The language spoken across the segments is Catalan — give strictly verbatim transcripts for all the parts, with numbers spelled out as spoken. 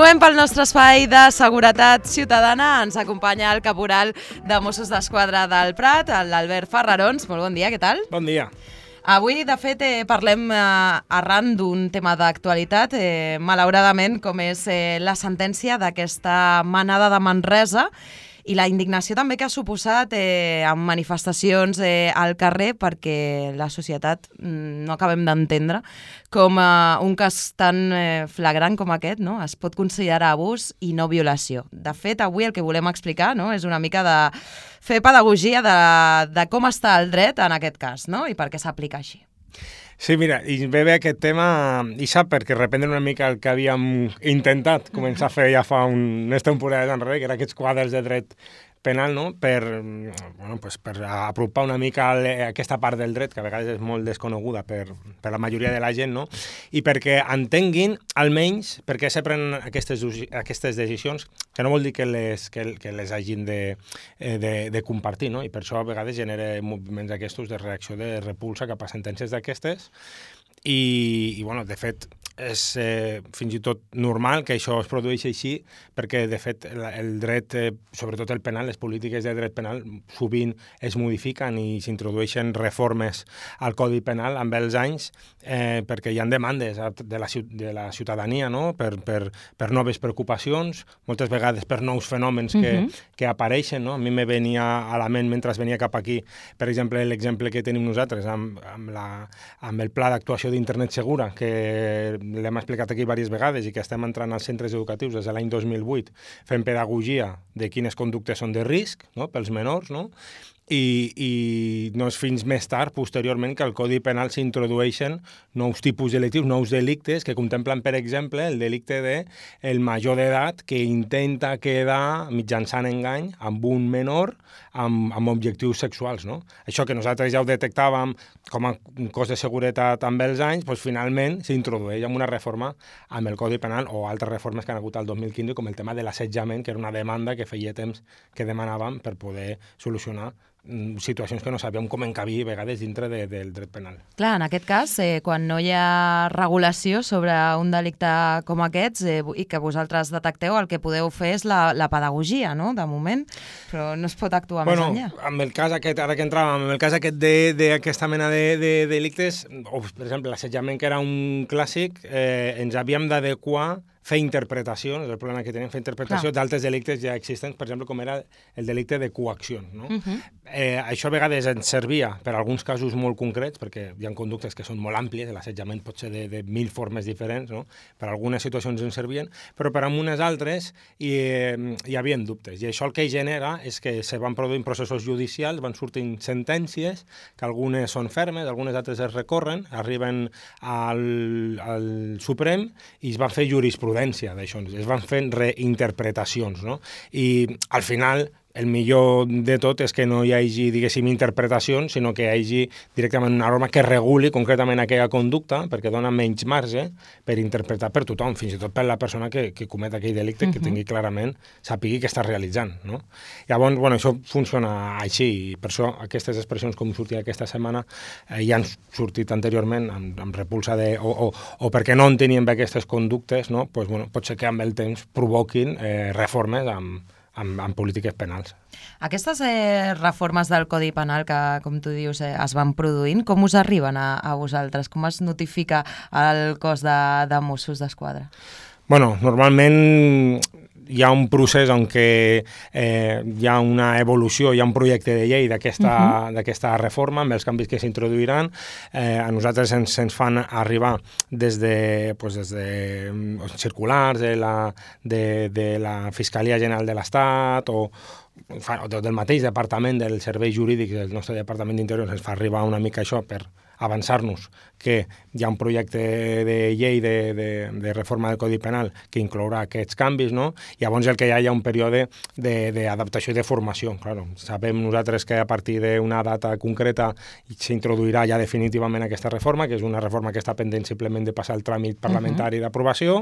Moment pel nostre espai de seguretat ciutadana. Ens acompanya el caporal de Mossos d'Esquadra del Prat, l'Albert Ferrarons. Molt bon dia, què tal? Bon dia. Avui, de fet, eh, parlem eh, arran d'un tema d'actualitat, eh, malauradament, com és eh, la sentència d'aquesta manada de Manresa i la indignació també que ha suposat eh, amb manifestacions eh, al carrer, perquè la societat mm, no acabem d'entendre com eh, un cas tan eh, flagrant com aquest, no? Es pot considerar abús i no violació. De fet, avui el que volem explicar, no? És una mica de fer pedagogia de, de com està el dret en aquest cas, no? I per què s'aplica així. Sí, mira, i ve bé aquest tema, i sap, perquè reprendre una mica el que havíem intentat començar a fer ja fa un, unes temporades enrere, que era aquests quadres de dret penal, no? per, bueno, pues per apropar una mica aquesta part del dret, que a vegades és molt desconeguda per, per la majoria de la gent, no? I perquè entenguin, almenys, per què se prenen aquestes, aquestes decisions, que no vol dir que les, que, que les hagin de, de, de compartir, no? I per això a vegades genera moviments aquests de reacció de repulsa cap a sentències d'aquestes, i, i bueno, de fet, és eh, fins i tot normal que això es produeixi així, perquè, de fet, el, el dret, eh, sobretot el penal, les polítiques de dret penal, sovint es modifiquen i s'introdueixen reformes al Codi Penal amb els anys, eh, perquè hi ha demandes de la, de la ciutadania, no? per, per, per noves preocupacions, moltes vegades per nous fenòmens que, uh-huh. que apareixen, no? A mi me venia a la ment, mentre venia cap aquí, per exemple, l'exemple que tenim nosaltres amb, amb, la, amb el pla d'actuació d'internet segura, que l'hem explicat aquí diverses vegades i que estem entrant als centres educatius des de l'any dos mil vuit fent pedagogia de quines conductes són de risc, no? Pels menors, no? I, i no és fins més tard, posteriorment, que al Codi Penal s'introdueixen nous tipus delictius, nous delictes que contemplen, per exemple, el delicte de el major d'edat que intenta quedar mitjançant engany amb un menor amb, amb objectius sexuals, no? Això que nosaltres ja ho detectàvem com a cos de seguretat amb els anys, doncs finalment s'introdueix amb una reforma amb el Codi Penal o altres reformes que han hagut al dos mil quinze, com el tema de l'assetjament, que era una demanda que feia temps que demanàvem per poder solucionar situacions que no sabíem com encabir a vegades dintre de, del dret penal. Clar, en aquest cas, eh, quan no hi ha regulació sobre un delicte com aquests eh, i que vosaltres detecteu, el que podeu fer és la, la pedagogia, no?, de moment, però no es pot actuar bueno, més enllà. Amb el cas aquest, ara que entràvem, amb el cas aquest d'aquesta mena de, de, de delictes, o per exemple l'assetjament, que era un clàssic, eh, ens havíem d'adequar fer interpretacions, el problema que tenim, fer interpretació d'altres delictes ja existents, per exemple, com era el delicte de coacció, no? Uh-huh. eh, això a vegades ens servia per a alguns casos molt concrets, perquè hi ha conductes que són molt àmplies, l'assetjament pot ser de, de mil formes diferents, no? Per a algunes situacions ens servien, però per a unes altres hi, eh, hi havia dubtes, i això el que genera és que se van produint processos judicials, van sortint sentències, que algunes són fermes, algunes altres es recorren, arriben al, al Suprem i es van fer jurisprudència d'això, es van fent reinterpretacions, no? I al final el millor de tot és que no hi hagi, diguéssim, interpretacions, sinó que hi hagi directament una norma que reguli concretament aquella conducta, perquè dona menys marge per interpretar per tothom, fins i tot per la persona que, que comet aquell delicte, uh-huh. que tingui clarament, sàpigui què està realitzant, no? Llavors, bueno, això funciona així, i per això aquestes expressions com sortia aquesta setmana eh, ja han sortit anteriorment amb, amb repulsa de, o, o, o perquè no en tenien aquestes conductes, no? Pues, bueno, pot ser que amb el temps provoquin eh, reformes amb Amb, amb polítiques penals. Aquestes eh, reformes del Codi Penal que, com tu dius, eh, es van produint, com us arriben a, a vosaltres? Com es notifica al cos de, de Mossos d'Esquadra? Bueno, normalment hi ha un procés en què eh, hi ha una evolució, hi ha un projecte de llei d'aquesta uh-huh. d'aquesta reforma, amb els canvis que s'introduiran. Eh, a nosaltres ens, ens fan arribar des de, pues, des de circulars de la, de, de la Fiscalia General de l'Estat o o del mateix departament del Servei Jurídic del nostre Departament d'Interior, ens fa arribar una mica això per avançar-nos que hi ha un projecte de llei de, de, de reforma del Codi Penal que inclourà aquests canvis, no? I llavors el que hi ha hi ha un període d'adaptació i de formació. Claro, sabem nosaltres que a partir d'una data concreta s'introduirà ja definitivament aquesta reforma, que és una reforma que està pendent simplement de passar el tràmit parlamentari uh-huh. d'aprovació,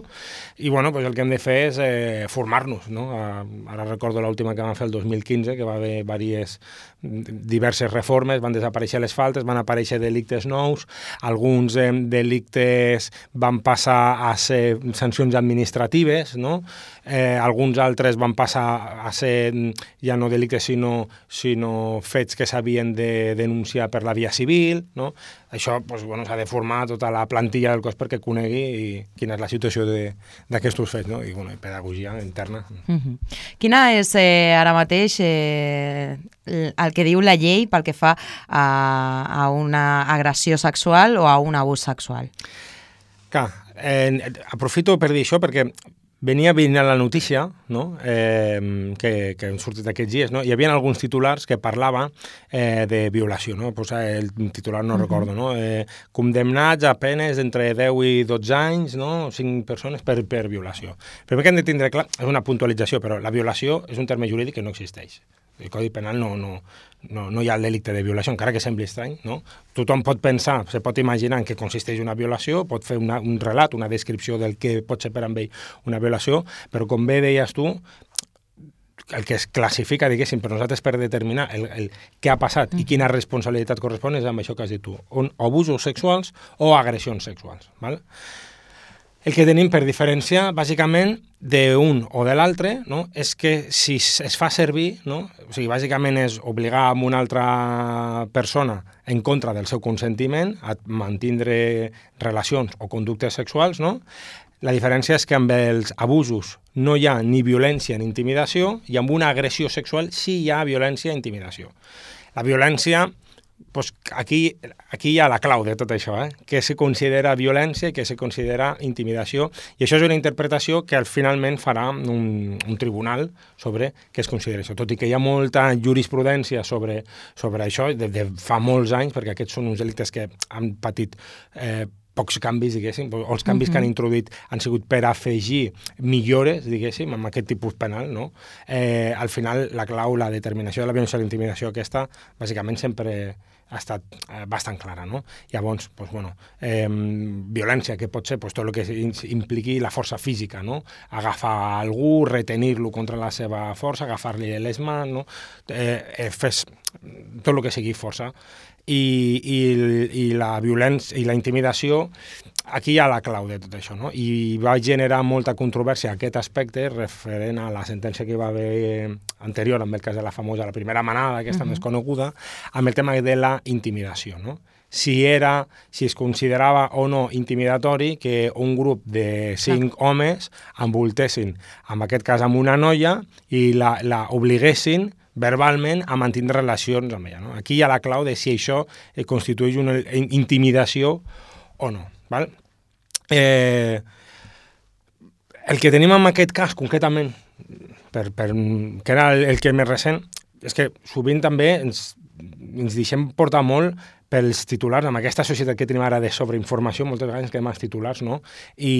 i bueno, pues el que hem de fer és eh, formar-nos, no? Ara recordo l'última que vam fer el dos mil quinze, que va haver diverses, diverses reformes, van desaparèixer les faltes, van aparèixer delictes nous, alguns eh, delictes van passar a ser sancions administratives, no? Eh, alguns altres van passar a ser ja no delictes sinó, sinó fets que s'havien de denunciar per la via civil, no? Això doncs, bueno, s'ha de formar tota la plantilla del cos perquè conegui i quina és la situació d'aquests fets, no? I, bueno, i pedagogia interna. Uh-huh. Quina és eh, ara mateix eh, el que diu la llei pel que fa a, a una agressió sexual o a un abús sexual? Clar, eh, aprofito per dir això perquè venia venint la notícia, no? eh, que, que han sortit aquests dies, no? Hi havia alguns titulars que parlava eh, de violació, no? Pues el titular no uh-huh. recordo, no? Eh, condemnats a penes entre deu i dotze anys, no? cinc persones per, per violació. Primer que hem de tindre clar, és una puntualització, però la violació és un terme jurídic que no existeix. El Codi Penal no, no, no, no hi ha el delicte de violació, encara que sembli estrany, no? Tothom pot pensar, se pot imaginar en què consisteix una violació, pot fer una, un relat, una descripció del que pot ser per amb ell una violació, però com bé deies tu, el que es classifica, diguéssim, per nosaltres per determinar el, el què ha passat mm. i quina responsabilitat correspon és amb això que has dit tu, on abusos sexuals o agressions sexuals, ¿vale? El que tenim per diferenciar, bàsicament, d'un o de l'altre, no? És que si es fa servir, no? O sigui, bàsicament és obligar a una altra persona en contra del seu consentiment a mantindre relacions o conductes sexuals, no? La diferència és que amb els abusos no hi ha ni violència ni intimidació i amb una agressió sexual sí hi ha violència i intimidació. La violència... Pues aquí, aquí hi ha la clau de tot això, eh? Què se considera violència i què se considera intimidació, i això és una interpretació que al finalment farà un, un tribunal sobre què es considera això, tot i que hi ha molta jurisprudència sobre, sobre això de, de fa molts anys, perquè aquests són uns delictes que han patit eh, pocs canvis, diguéssim, o els canvis uh-huh. que han introduït han sigut per afegir millores, diguéssim, amb aquest tipus penal, no? Eh, al final, la clau, la determinació de la violència i la intimidació aquesta, bàsicament sempre ha estat eh, bastant clara, no? Llavors, pues, bueno, eh, violència, que pot ser pues, tot el que impliqui la força física, no? Agafar algú, retenir-lo contra la seva força, agafar-li les mans, no? Eh, eh, fes tot el que sigui força. I, i, i la violència i la intimidació, aquí hi ha la clau de tot això, no? I va generar molta controvèrsia aquest aspecte referent a la sentència que hi va haver anterior, amb el cas de la famosa, la primera manada, aquesta uh-huh. més coneguda, amb el tema de la intimidació, no? Si era, si es considerava o no intimidatori que un grup de cinc ah. homes envoltessin, en aquest cas amb una noia, i la, la obliguessin verbalment a mantenir relacions amb ella, no? Aquí hi ha la clau de si això eh, constitueix una intimidació o no, val? Eh, el que tenim en aquest cas, concretament, per, per, que era el, el que més recent, és que sovint també ens, ens deixem portar molt pels titulars, amb aquesta societat que tenim ara de sobreinformació, moltes vegades ens quedem als titulars, no? I,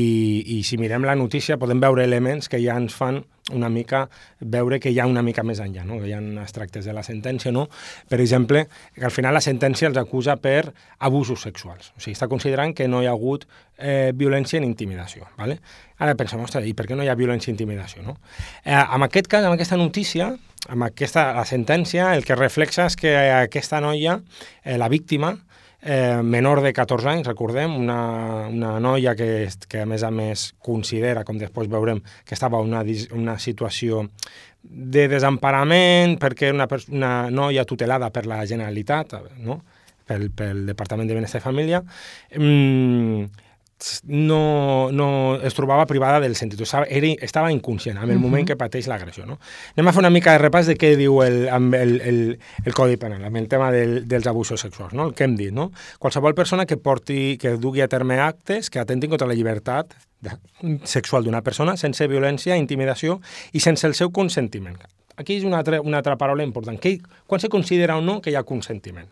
i si mirem la notícia podem veure elements que ja ens fan una mica veure que hi ha una mica més enllà, no? Que hi ha extractes de la sentència, no? Per exemple, que al final la sentència els acusa per abusos sexuals. O sigui, està considerant que no hi ha hagut eh, violència ni intimidació, ¿vale? Ara pensem, ostres, i per què no hi ha violència i intimidació, no? Eh, en aquest cas, amb aquesta notícia, amb aquesta la sentència, el que reflexa és que aquesta noia, eh, la víctima, eh, menor de catorze anys, recordem, una, una noia que, que a més a més considera, com després veurem, que estava en una, una situació de desemparament perquè una, una noia tutelada per la Generalitat, no? pel, pel Departament de Benestar i Família, mm, no, no es trobava privada del sentit, estava, era, estava inconscient en el uh-huh. moment que pateix l'agressió, no? Anem a fer una mica de repàs de què diu el, el, el, el Codi Penal, amb el tema del, dels abusos sexuals, no? El que hem dit, no? Qualsevol persona que porti, que dugui a terme actes que atentin contra la llibertat sexual d'una persona sense violència, intimidació i sense el seu consentiment. Aquí és una altra, una altra paraula important. Que, quan se considera o no que hi ha consentiment?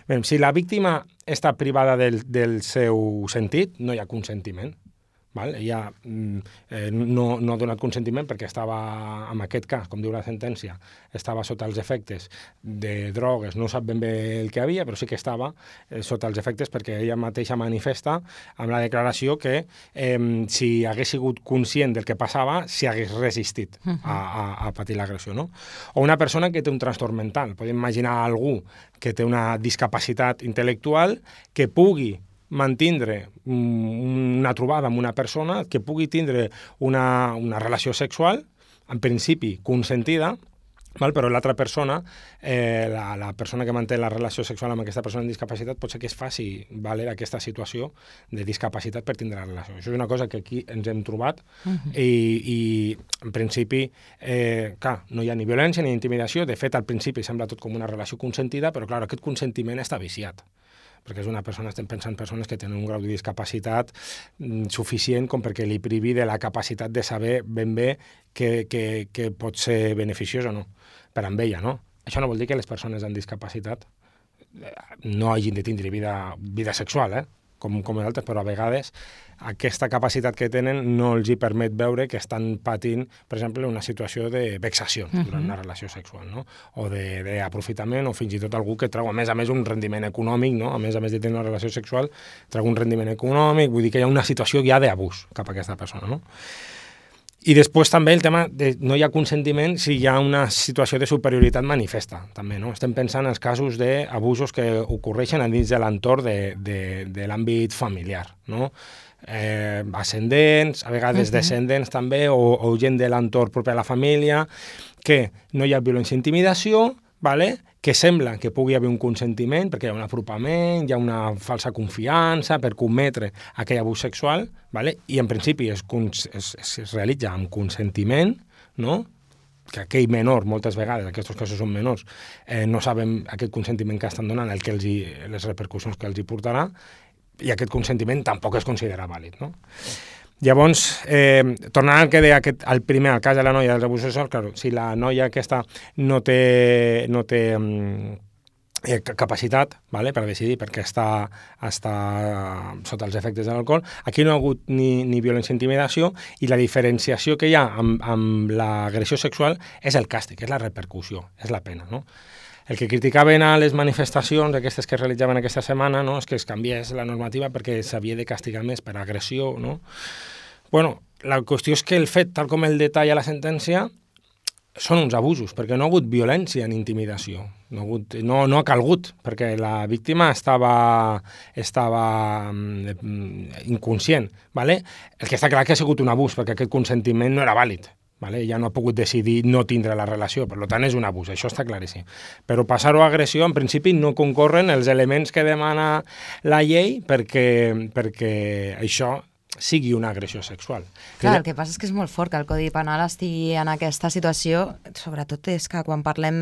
Bé, si la víctima està privada del, del seu sentit, no hi ha consentiment. val? Ella eh, no, no ha donat consentiment perquè estava, en aquest cas, com diu la sentència, estava sota els efectes de drogues, no sap ben bé el que havia, però sí que estava eh, sota els efectes perquè ella mateixa manifesta amb la declaració que eh, si hagués sigut conscient del que passava, s'hi hagués resistit a, a, a patir l'agressió, no? O una persona que té un trastorn mental. Podem imaginar algú que té una discapacitat intel·lectual que pugui mantindre una trobada amb una persona, que pugui tindre una, una relació sexual, en principi consentida, val? Però l'altra persona, eh, la, la persona que manté la relació sexual amb aquesta persona amb discapacitat, pot ser que es faci valer aquesta situació de discapacitat per tindre la relació. Això és una cosa que aquí ens hem trobat uh-huh. i, i en principi, eh, clar, no hi ha ni violència ni intimidació. De fet, al principi sembla tot com una relació consentida, però clar, aquest consentiment està viciat, perquè és una persona, estem pensant persones que tenen un grau de discapacitat mm, suficient com perquè li privi de la capacitat de saber ben bé que, que, que pot ser beneficiós o no per amb ella, no? Això no vol dir que les persones amb discapacitat no hagin de tindre vida, vida sexual, eh? com, com els altres, però a vegades aquesta capacitat que tenen no els hi permet veure que estan patint, per exemple, una situació de vexació uh-huh. durant una relació sexual, no? O d'aprofitament, o fins i tot algú que treu, a més a més, un rendiment econòmic, no? A més a més de tenir una relació sexual, treu un rendiment econòmic, vull dir que hi ha una situació ja d'abús cap a aquesta persona, no? I després també el tema de no hi ha consentiment si hi ha una situació de superioritat manifesta, també, no? Estem pensant en els casos d'abusos que ocorreixen dins de l'entorn de, de, de l'àmbit familiar, no? Eh, ascendents, a vegades uh-huh. descendents també, o, o gent de l'entorn proper a la família, que no hi ha violència i intimidació, vale? Que sembla que pugui haver un consentiment, perquè hi ha un apropament, hi ha una falsa confiança per cometre aquell abús sexual, vale? I en principi es, es, es realitza amb consentiment, no? Que aquell menor, moltes vegades, aquests casos són menors, eh, no saben aquest consentiment que estan donant, el que els hi, les repercussions que els hi portarà, i aquest consentiment tampoc es considera vàlid, no? Llavors, eh, tornant al que deia aquest, al primer, al cas de la noia dels abusos sexuals, claro, si la noia aquesta no té, no té eh, capacitat, vale, per decidir perquè està, està sota els efectes de l'alcohol, aquí no ha hagut ni, ni violència ni intimidació, i la diferenciació que hi ha amb, amb l'agressió sexual és el càstig, és la repercussió, és la pena, no? El que criticaven a les manifestacions, aquestes que es realitzaven aquesta setmana, no? És que es canviés la normativa perquè s'havia de castigar més per agressió, no? Bueno, la qüestió és que el fet, tal com el detalla la sentència, són uns abusos, perquè no ha hagut violència ni intimidació. No ha, hagut, no, no ha calgut, perquè la víctima estava, estava mm, inconscient, ¿vale? El que està clar que ha sigut un abús, perquè aquest consentiment no era vàlid. Vale? Ja no ha pogut decidir no tindre la relació, per tant és un abús, això està claríssim. Però passar-ho a agressió, en principi, no concorren els elements que demana la llei perquè, perquè això sigui una agressió sexual. Clar, el que passa és que és molt fort que el Codi Penal estigui en aquesta situació, sobretot és que quan parlem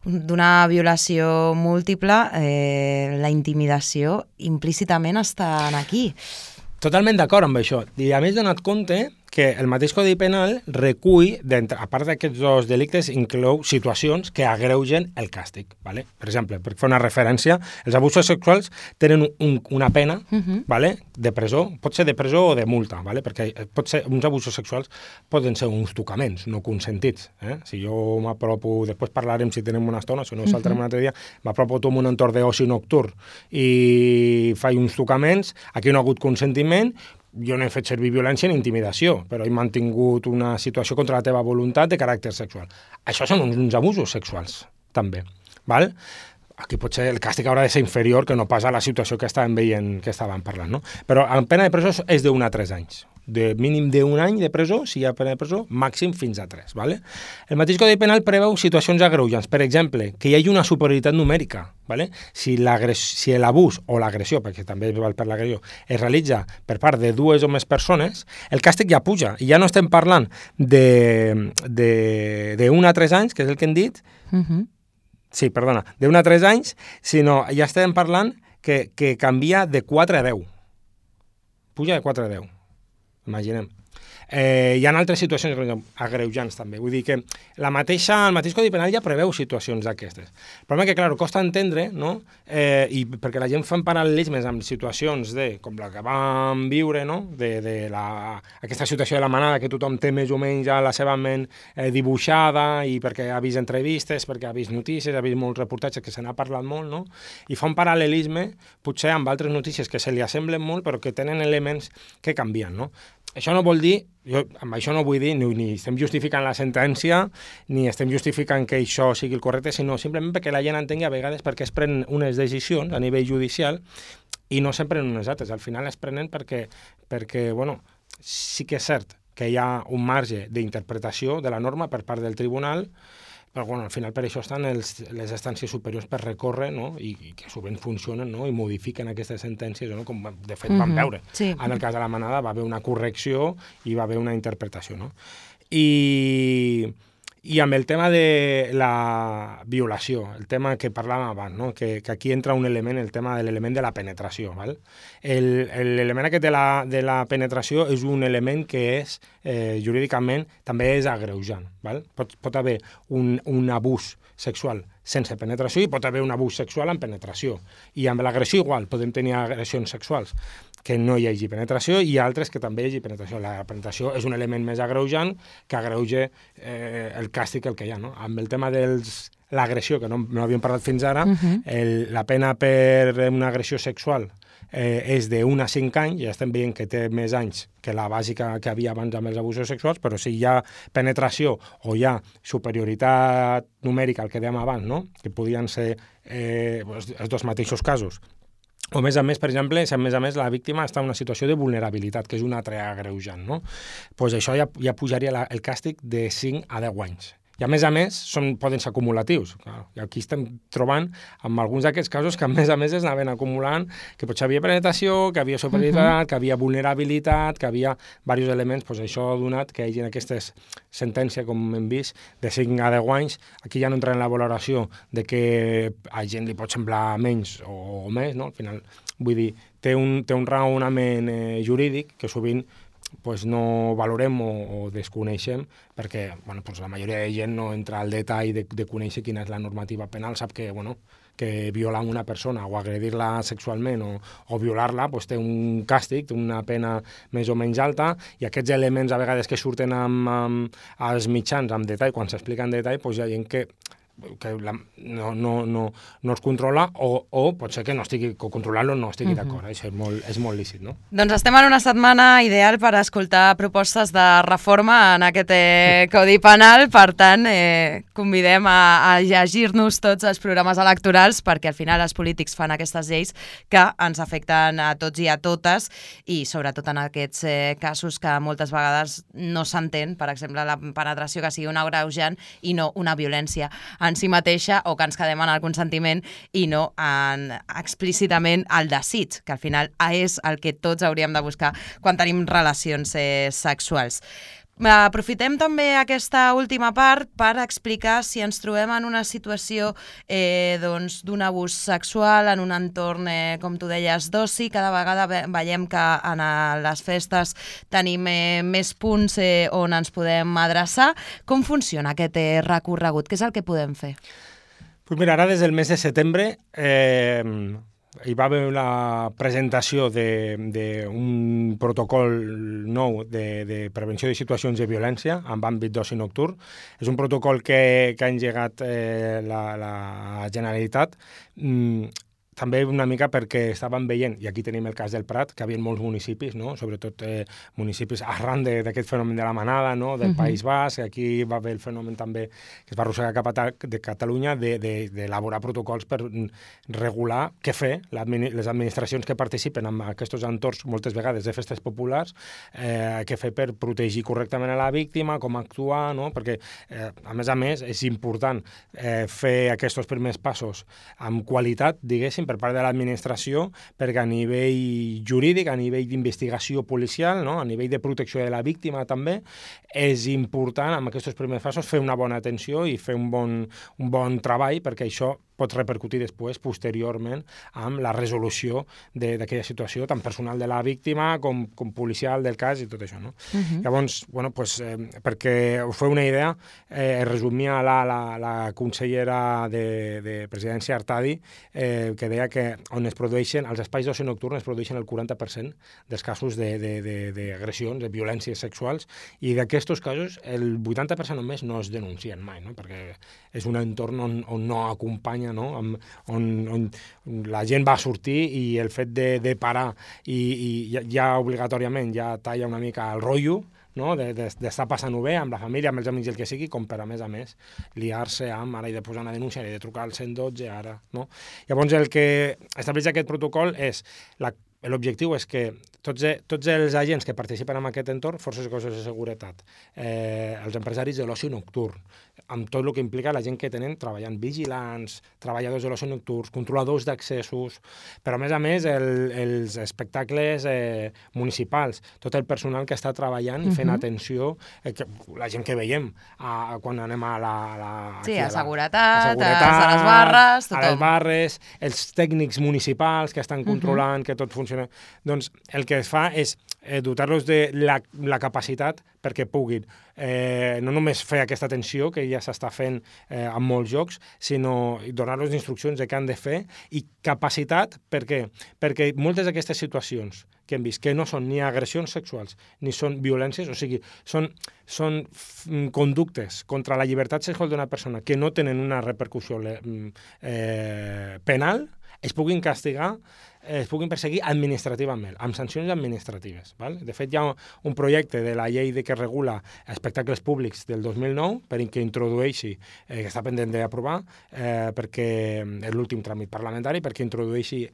d'una violació múltiple, eh, la intimidació implícitament està aquí. Totalment d'acord amb això. I a més donat compte que el mateix Codi Penal recull, a part d'aquests dos delictes, inclou situacions que agreugen el càstig. ¿Vale? Per exemple, per fer una referència, els abusos sexuals tenen un, una pena uh-huh. ¿vale? de presó, pot ser de presó o de multa, ¿vale? Perquè pot ser, uns abusos sexuals poden ser uns tocaments no consentits. Eh? Si jo m'apropo, després parlarem si tenem una estona, si no saltarem uh-huh. un altre dia, m'apropo a un entorn d'oci nocturn i faig uns tocaments, aquí no ha hagut consentiment, jo no he fet servir violència ni intimidació, però he mantingut una situació contra la teva voluntat de caràcter sexual. Això són uns, uns abusos sexuals, també. Val? Aquí potser el càstig haurà de ser inferior que no pas a la situació que estàvem veient, que estàvem parlant, no? Però en pena de presó és d'un a tres anys. De mínim d'un any de presó, si hi ha pena de presó, màxim fins a tres. ¿Vale? El mateix Codi Penal preveu situacions agreujants. Per exemple, que hi hagi una superioritat numèrica. ¿Vale? Si si l'abús o l'agressió, perquè també val per l'agressió, es realitza per part de dues o més persones, el càstig ja puja. I ja no estem parlant d'un a tres anys, que és el que hem dit, uh-huh. sí, perdona, d'un a tres anys, sinó ja estem parlant que, que canvia de quatre a deu. Puja de quatre a deu. Imaginem. Eh, hi ha altres situacions agreujants també. Vull dir que la mateixa, el mateix Codi Penal ja preveu situacions d'aquestes. El problema és que, clar, costa entendre, no? Eh, i perquè la gent fa paral·lelismes amb situacions de, com la que vam viure, no? de, de la, aquesta situació de la manada, que tothom té més o menys a la seva ment eh, dibuixada, i perquè ha vist entrevistes, perquè ha vist notícies, ha vist molts reportatges que se n'ha parlat molt, no? I fa un paral·lelisme, potser amb altres notícies que se li assemblen molt, però que tenen elements que canvien, no? Això no vol dir, jo amb això no vull dir, ni, ni estem justificant la sentència, ni estem justificant que això sigui el correcte, sinó simplement perquè la gent entengui a vegades perquè es prenen unes decisions a nivell judicial i no se'n prenen unes altres. Al final es prenen perquè, perquè bueno, sí que és cert que hi ha un marge d'interpretació de la norma per part del tribunal, però bueno, al final per això estan els, les instàncies superiors per recórrer, no? I, i que sovint funcionen, no? I modifiquen aquestes sentències, no? Com de fet vam veure. Mm-hmm. Sí. En el cas de la manada va haver una correcció i va haver una interpretació, no? I, i amb el tema de la violació, el tema que parlàvem abans, no? que, que aquí entra un element, el tema de l'element de la penetració. Val? L'element aquest de la, de la penetració és un element que és, eh, jurídicament, també és agreujant. Val? Pot, pot haver un, un abús sexual sense penetració i pot haver un abús sexual amb penetració. I amb l'agressió igual, podem tenir agressions sexuals que no hi hagi penetració i altres que també hi hagi penetració. La penetració és un element més agreujant que agreuja eh, el càstig el que hi ha. No? Amb el tema de l'agressió, que no, no havíem parlat fins ara, uh-huh. el, la pena per una agressió sexual eh, és d'un a cinc anys, ja estem veient que té més anys que la bàsica que havia abans amb els abusos sexuals, però si hi ha penetració o hi ha superioritat numèrica, el que dèiem abans, no? que podien ser eh, els dos mateixos casos, o a més a més, per exemple, si a més a més la víctima està en una situació de vulnerabilitat, que és un altre agreujant, no? Pues això ja, ja pujaria la, el càstig de cinc a deu anys. I a més a més són, poden ser acumulatius. Clar. I aquí estem trobant amb alguns d'aquests casos que a més a més es anaven acumulant, que potser havia penetració, que havia superioritat, uh-huh. que havia vulnerabilitat, que havia diversos elements. Pues això ha donat que hi hagi aquestes sentències, com hem vist, de cinc a deu anys. Aquí ja no entra en la valoració de que a gent li pot semblar menys o, o més, no? Al final, vull dir, té un, té un raonament eh, jurídic que sovint pues no valorem o, o desconeixem perquè bueno, pues la majoria de gent no entra al detall de, de conèixer quina és la normativa penal, sap que, bueno, que violar una persona o agredir-la sexualment o, o violar-la pues té un càstig, té una pena més o menys alta i aquests elements a vegades que surten amb, amb, als mitjans amb detall, quan s'explica en detall, pues hi ha gent que que la, no, no, no, no es controla o, o pot ser que no estigui, que controlant-lo no estigui uh-huh. d'acord. Això és molt, és molt lícit, no? Doncs estem en una setmana ideal per escoltar propostes de reforma en aquest eh, Codi Penal, per tant, eh, convidem a, a llegir-nos tots els programes electorals perquè al final els polítics fan aquestes lleis que ens afecten a tots i a totes i sobretot en aquests eh, casos que moltes vegades no s'entén, per exemple, la penetració que sigui un agreujant i no una violència en si mateixa o que ens quedem en el consentiment i no en, explícitament el desig, que al final és el que tots hauríem de buscar quan tenim relacions eh, sexuals. Aprofitem també aquesta última part per explicar si ens trobem en una situació eh, doncs, d'un abús sexual en un entorn, eh, com tu deies, d'oci. Cada vegada ve veiem que en les festes tenim eh, més punts eh, on ens podem adreçar. Com funciona aquest eh, recorregut? Què és el que podem fer? Pues mira, ara des del mes de setembre eh, hi va haver la presentació d'un protocol nou de, de prevenció de situacions de violència en àmbit d'oci nocturn. És un protocol que, que ha engegat eh, la, la Generalitat, mm, també una mica perquè estàvem veient, i aquí tenim el cas del Prat, que hi havia molts municipis, no? Sobretot eh, municipis arran d'aquest fenomen de la manada, no? Del uh-huh. País Basc, aquí va haver el fenomen també que es va arrossegar cap a de Catalunya d'elaborar protocols per regular què fer les administracions que participen en aquests entorns, moltes vegades de festes populars, eh, què fer per protegir correctament a la víctima, com actuar, no? Perquè, eh, a més a més, és important eh, fer aquests primers passos amb qualitat, diguéssim, per part de l'administració, perquè a nivell jurídic, a nivell d'investigació policial, no? A nivell de protecció de la víctima també, és important, amb aquests primers passos, fer una bona atenció i fer un bon, un bon treball, perquè això pot repercutir després, posteriorment, amb la resolució d'aquella situació, tant personal de la víctima com, com policial del cas i tot això, no? Uh-huh. Llavors, bueno, pues, eh, perquè us feu una idea, eh, resumia la, la, la consellera de, de Presidència Artadi, eh, que deia que on es produeixen, als espais d'oci nocturn es produeixen el quaranta per cent dels casos d'agressions, de, de, de, de violències sexuals, i d'aquests casos el vuitanta per cent només no es denuncien mai, no? Perquè és un entorn on, on no acompanya, no? On, on, on la gent va sortir i el fet de, de parar i, i ja, ja obligatòriament ja talla una mica el rotllo, no? d'estar de, de passant-ho bé amb la família, amb els amics i el que sigui, com per a més a més liar-se amb, ara he de posar una denúncia, he de trucar al cent dotze, ara, no? Llavors el que estableix aquest protocol és, l'objectiu és que tots, tots els agents que participen en aquest entorn, forces i cossos de seguretat, eh, els empresaris de l'oci nocturn, amb tot el que implica la gent que tenen treballant vigilants, treballadors de l'oci nocturn, controladors d'accessos, però a més a més el, els espectacles eh, municipals, tot el personal que està treballant i fent uh-huh. atenció, eh, que, la gent que veiem a, quan anem a la... A la sí, a, a, la, seguretat, a seguretat, a les barres, tothom. A les barres, els tècnics municipals que estan controlant uh-huh. que tot funciona. Doncs el que es fa és eh, dotar-los de la, la capacitat perquè puguin eh, no només fer aquesta atenció que ja s'està fent eh, en molts llocs, sinó donar-los instruccions de què han de fer i capacitat, per què? Perquè moltes d'aquestes situacions que hem vist, que no són ni agressions sexuals ni són violències, o sigui, són, són conductes contra la llibertat sexual d'una persona que no tenen una repercussió eh, penal, es puguin castigar, es puguin perseguir administrativament, amb sancions administratives. Val? De fet, hi ha un projecte de la llei de que regula espectacles públics del dos mil nou per que introdueixi, eh, que està pendent d'aprovar, eh, perquè és l'últim tràmit parlamentari, perquè introdueixi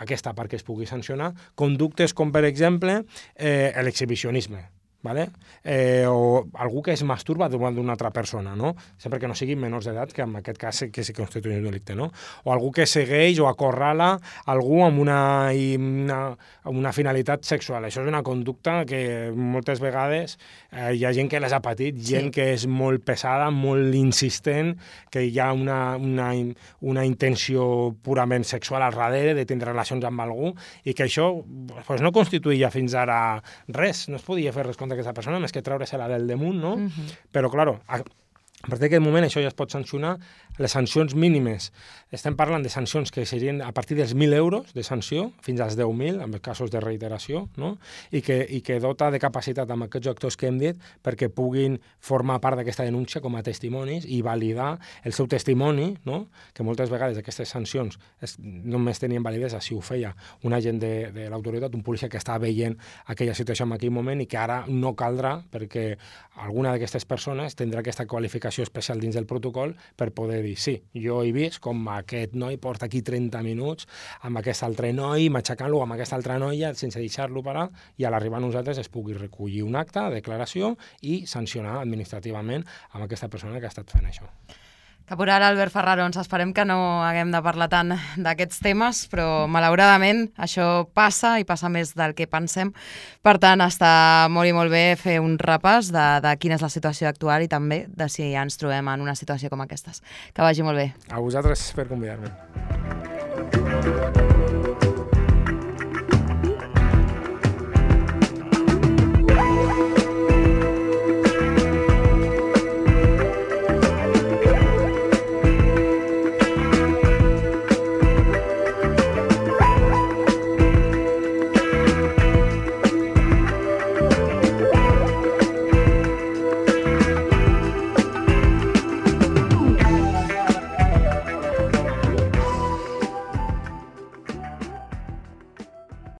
aquesta part que es pugui sancionar, conductes com, per exemple, eh, l'exhibicionisme. Vale? Eh, o algú que es masturba davant d'una altra persona, no? Sempre que no siguin menors d'edat, que en aquest cas que se constitueix un delicte, no? O algú que segueix o acorrala algú amb una, una, una finalitat sexual. Això és una conducta que moltes vegades eh, hi ha gent que les ha patit, gent sí. que és molt pesada, molt insistent, que hi ha una, una, una intenció purament sexual al darrere, de tindre relacions amb algú, i que això pues, no constituïa fins ara res, no es podia fer res contra aquesta persona, més que treure-se-la del damunt, no? Uh-huh. Però, clar, a, a partir d'aquest moment això ja es pot sancionar. Les sancions mínimes, estem parlant de sancions que serien a partir dels mil euros de sanció, fins als deu mil, en casos de reiteració, no? I que, i que dota de capacitat amb aquests actors que hem dit perquè puguin formar part d'aquesta denúncia com a testimonis i validar el seu testimoni, no? Que moltes vegades aquestes sancions es, només tenien validesa si ho feia un agent de, de l'autoritat, un policia que està veient aquella situació en aquell moment i que ara no caldrà perquè alguna d'aquestes persones tindrà aquesta qualificació especial dins del protocol per poder dir, sí, jo he vist com aquest noi porta aquí trenta minuts amb aquest altre noi, matxacant-lo amb aquesta altra noia sense deixar-lo parar, i a l'arribar a nosaltres es pugui recollir un acte de declaració i sancionar administrativament amb aquesta persona que ha estat fent això. Caporal Albert Ferrarons, esperem que no haguem de parlar tant d'aquests temes, però malauradament això passa i passa més del que pensem. Per tant, està molt i molt bé fer un repàs de, de quina és la situació actual i també de si ja ens trobem en una situació com aquestes. Que vagi molt bé. A vosaltres per convidar-me.